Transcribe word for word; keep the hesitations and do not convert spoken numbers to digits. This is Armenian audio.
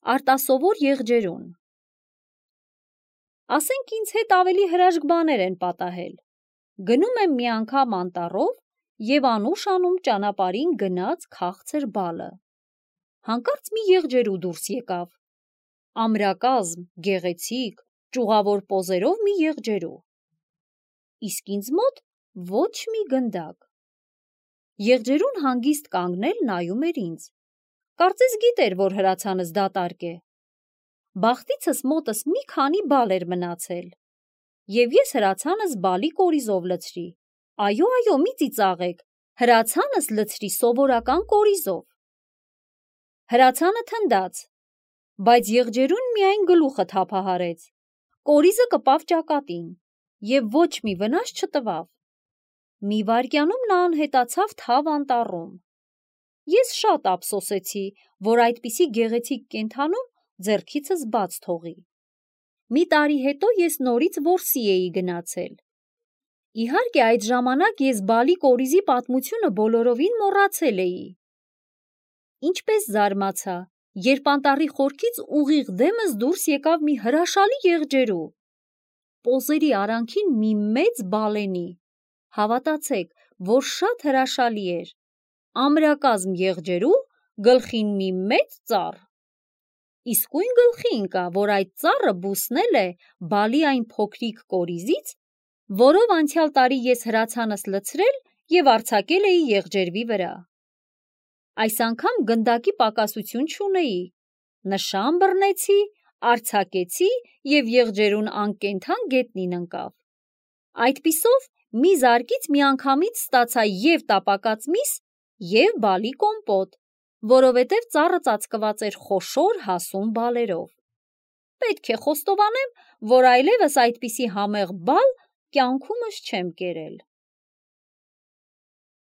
Արտասովոր եղջերուն։ Ասենք ինձ հետ ավելի հրաշք բաներ են պատահել։ Գնում եմ մի անգամ անտառով և անուշ անում ճանապարհին գնաց քաղցր բալը։ Հանկարծ մի եղջերու դուրս եկավ։ Ամրակազմ, գեղեցիկ, ճյուղավոր պոզերով մի եղջերու։ Իսկ ինձ մոտ ոչ մի գնդակ։ Եղջերուն հանգիստ կանգնել նայում էր ինձ։ Կարծես գիտեր, որ հրացանս դատարկ է։ Բախտիցս մոտս մի քանի բալ էր մնացել։ Եվ ես հրացանս բալի կորիզով լցրի։ Այո, այո, մի ծիծաղեք, հրացանս լցրի սովորական կորիզով։ Հրացանը թնդաց, բայց եղջերուն միայն գլուխը թափահարեց։ Կորիզը կպավ ճակատին և ոչ մի վնաս չտվավ։ Մի վայրկյանում նա անհետացավ թավ անտառում։ Ես շատ ափսոսեցի, որ այդպիսի գեղեցիկ կենդանու ձեռքիցս բաց թողի։ Մի տարի հետո ես նորից որսի էի գնացել։ Իհարկե, այդ ժամանակ ես բալի կորիզի պատմությունը բոլորովին մոռացել էի։ Ինչպես զարմացա, երբ անտառի խորքից ուղիղ դեմս դուրս եկավ մի հրաշալի եղջերու։ Պոզերի արանքին մի մեծ բալենի։ Հավատացեք, որ շատ հրաշալի էր։ Ամրակազմ եղջերու, գլխին մի մեծ ծառ։ Իսկույն գլխի ընկա, որ այդ ծառը բուսնել է բալի այն փոքրիկ կորիզից, որով անցյալ տարի ես հրացանս լցրել և արձակել էի եղջերվի վրա։ Այս անգամ գնդակի պակասություն չունեի։ Նշան բռնեցի, արձակեցի և եղջերուն անկենդան գետնին ընկավ։ Այդպիսով մի զարկից միանգամից ստացա և տապակած միս, և բալի կոմպոտ, որովհետև ծառը ծածկված էր խոշոր հասուն բալերով։ Պետք է խոստովանեմ, որ այլևս այդպիսի համեղ բալ կյանքումս չեմ կերել։